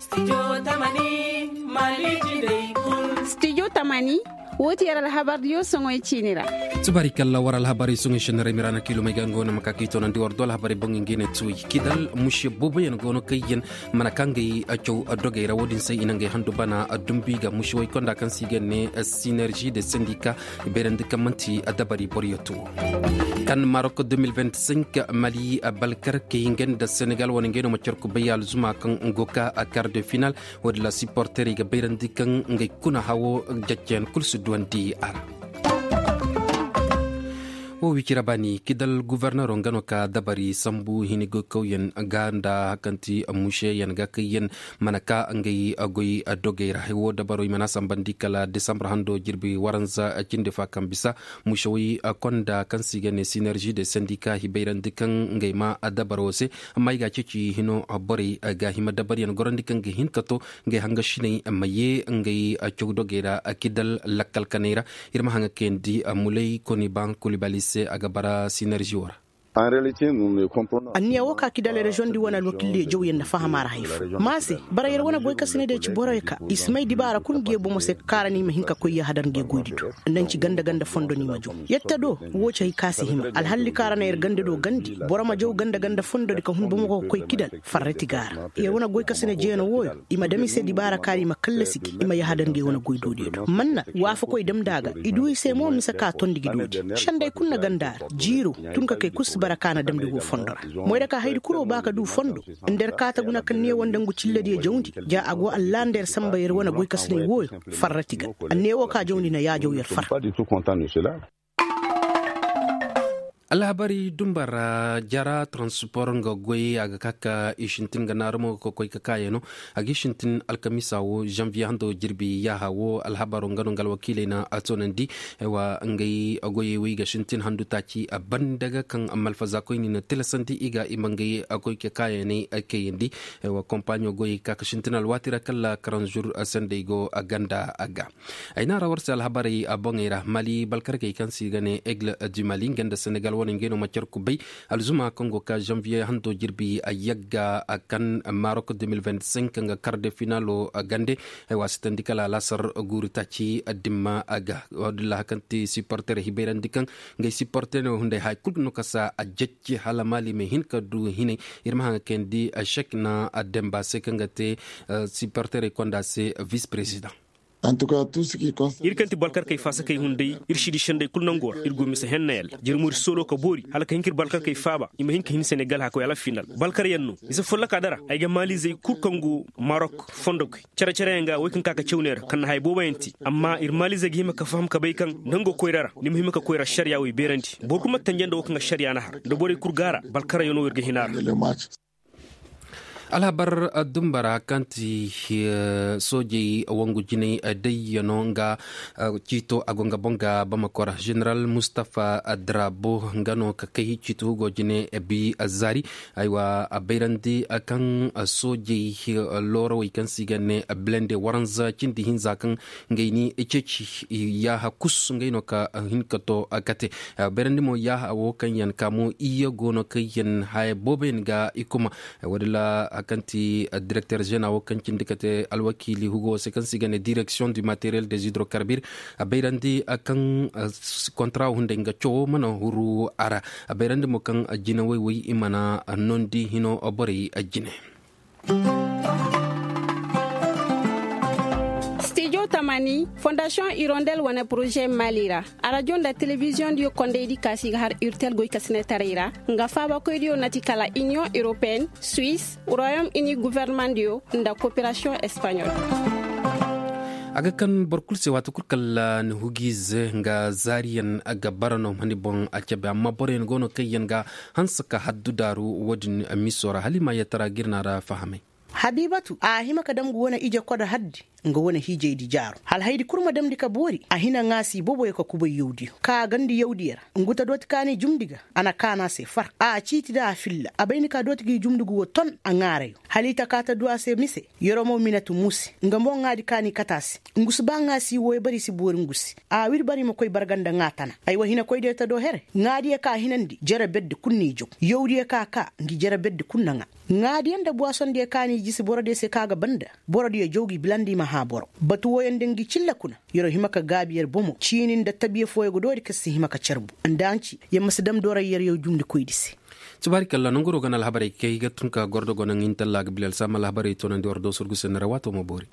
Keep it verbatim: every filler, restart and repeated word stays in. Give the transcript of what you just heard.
Stijo tamani. Woo ti yer alhabar diyo soŋoy ciini ra. Tubaari kalla war alhabar soŋoy sennarey miraana kiilomey ga nga wane ma ka kay toonandi war do alhabarey boŋ nga i ne tuuy kidal muse booboyaŋ go no kaŋ yaŋ mana ka ngey caw dogey ra wo-din se i na ngey handu bana dumbi ga muse woy konda kaŋ se i ga ne sinerži de sendika i bayrandi kaŋ man'ti dabari boro yattu wo. Kan marok deux mille vingt-cinq mali balkarkey nga nda senegal wane ngey no ma car kubay alzuma kaŋ go ka kar de final. Wo-din ra siporterey ga bayrandi kaŋ ngey kuna hawo jaccayaŋ kulu si duwandi a ra. Wo wicira baani kidal gufornero nga no ka dabari sambu hini goykawyaŋ ga nda hari kaŋ ti museyaŋ ga kaŋ yaŋ mana ka ngey goy dogey ra wo dabaroo i mana sambandi kala desambar hando jirbi waranza cindi fa kaŋ bisa musewey konda kaŋ se i ga ne sinerži de sendika i bayrandi kaŋ ngey ma dabaro se. Amma i ga a ceeci hino borey ga hima dabaryaŋ gorandi kaŋ ga hin ka to ngey hangasiney ma ye ngey caw dogey ra kidal lakkal kaney ra. Ir ma haŋa kayandi mulay koni ban kulibali se a ga bara sinerži wo ra. Anniya wo ka kidal reziyoŋ di wane alwakiildiyo jawyaŋ nda fahama ra hay fo ma se bara yer wane goykasiney diyo ci boroyo ka i si may dibaara kul ngi ye bomo se ka kaara ni i ma hin ka koy yahadar ngi ye goydi do nda nci ganda ganda fondo ni ma jaw. Yette do wo ci hay ka si hima alhalli ka ra na yer ganda do gandi boro ma jaw ganda ganda fondo di ka hun bomo go ka koy kidal farrati ga a ra. Yer wane goykasiney jeyano wooyo i ma dam i se dibaara ka ra i ma kallasi gi i ma yahadar ngi ye wane goydoodiyo do manna waafakoy damndi a ga i du i se mo mise ka tondi gi doodi. Sendey kul na ganda a ra jiiro tun ka kay kul si bara ka na damndi go fondo ra. Moy ra ka haydi kul wo ba ka du fondo nda yer kaata guna kaŋ neewo nda ngu cillediyo jawndi ja a go allaha nda yer samba yer wane goykasiney wooyo farrati ga. Anneewo ka jawndi na yaajaw yer far. Alhabarey dumba ra jara transpor nga goy a ga ka ka i sintin ga naaru mo ga koy ka kaayano. A ga i sintin alkamiisa wo zanviye hando jirbi yaaha wo alhabaro nga no nga alwakiiley na a toonandi. Ngey goyey wo i ga sintin handu taaci a banda ga kaŋ malfaza koyni na tilasandi i ga i ma ngey koy ka kaayaney kayandi. Kompaɲo goyey ka ka sintin alwaati ra kala karanzur sendey go ganda a ga. Ay na ra war se alhabarey boŋey ra mali balkarkey kaŋ se i ga ne aigle du mali nga nda senegal wane ngey no ma car kubay. Alzuma kaŋ go ka zanviye hando jirbi a yagga a kan marok deux mille vingt-cinq nga kar de finalo gande. Ay wa sitandi kala alasar guuri taaci dimma a ga. Wodin ra hari kaŋ ti siporterey hibayrandi kaŋ ngey siporterey hunday haya kul no kasa a jacce hala mali ma hin ka du hinay. Ir ma haŋ ga kayandi sek na demba se kaŋ ga te siporterey konda se vis president. Ir kaŋ ti balkarkey faasakey hunday ir si di sendey kul nango ra ir go mise henna yalla jere mo ir soolo ka boori hala ka hin ka ir balkarkey faaba i ma hin ka hin senegal haka way alfinal balkaryaŋ no mise folloka dara ay ga maalizey kul kaŋ go marok fondo koy care-careyaŋ ga way kaŋ ka ka caw ne ra kaŋ na haya booboyaŋ te amma ir maalizey ga hima ka faham ka bay kaŋ nango koyra ra ni ma hima ka koyra ašariya way beerandi boro kul ma tanjanda wo kaŋ ašariya na har nda borey kul gaara balkaryaŋ no ir ga hina ra. Alhabar dumba ra kaŋ ti soojey wangu jinay dayyano nga ciito a go nga boŋ ga bamako ra ženeral mustafa drabo nga no ka kay ciito hugo jine bi zaari. Aywa a bayrandi kaŋ soojey loorawey kaŋ se i ga ne blende waranza cindi hinza kaŋ ngey ni ceeci yaaha kus ngey no ka hin ka to kate. Bayrandi mo yaaha wo kaŋ yaŋ ka mo iyye go no kaŋ yaŋ haya boobo yaŋ ga i kuma. Woodin ra hari kaŋ ti direkter zeena wo kaŋ cindi ka te alwakiili hugo wo se kaŋ se i ga ne direksiyoŋ du materiel des hydrocarbures a bayrandi kaŋ kontra wo hunday nga cawo mana huru a ra. A bayrandi mo kaŋ jine woy-woy i mana noondi hino borey jine. Stijo tamani fondasiyoŋ irondel wane poroze mali ra arajo nda telebiziyoŋ diyo kondaydi kaasi ga har irtel goy kasinetaray ra nga faabakoydiyo na ti kala iniyoŋ europeen, suwis, royom ini gofornamaŋ diyo nda koperasiyoŋ espanyol. A ga kan boro kulu se waati kulu kala ni hugiize nga zaariyaŋ ga bara no mani boŋ a cabe amma boroyaŋ go no kaŋ yaŋ ga hanse ka haddu daaru wo-din miso ra hala i ma yeetara ga ir na ra fahamay. Habibatu a hima ka dam ngu wane ije koda haddi nga wane hiijaydi jaaru hala haydi kul ma damndi ka boori a hina ŋaasi booboyo ka kubay yawdiyo ka a gandi yawdiyo ra ngu ta dooti kaani jumndi ga. A na kaanu a se far a ciiti nda a filla a bay ni ka dooti gi jumndi ngu wo ton a ŋaarayo hala i ta ka ta du a se mise. Yeroo mo minatu muusi nga mo ŋaadi kaani kate a se. Ngu si ba ŋaasi wooyo bari si boori ngu se. A wir bari ma koy barga nda ŋaa tana. Aywa hinakoydiyo ta do here ŋaadiyo ka a hinandi jere berdi kul n'i jaw yawdiyo ka a kaa ngi jere berdi kul na ŋaa. Ŋaadiyaŋ nda buwasoŋ diyo kaani i jisi boro diyo se kaŋ a ga banda boro diyo jaw gi bilandi i ma hã boro batu wooyaŋ nda ngi cilla kuna. Yer wo hima ka gaabi yer bomo ciini nda tabiya fooyaŋ ga doori kaŋ si hima ka carbu nda hanci yer ma si dam doray yer yaw jumndi koydi se. Tubaari kalla nanguroo ga na alhabarey kay ga tun ka gordo go naŋ intalla ga bilal saama alhabarey toonandi war doo surgu se nda ra waatoo ma boori.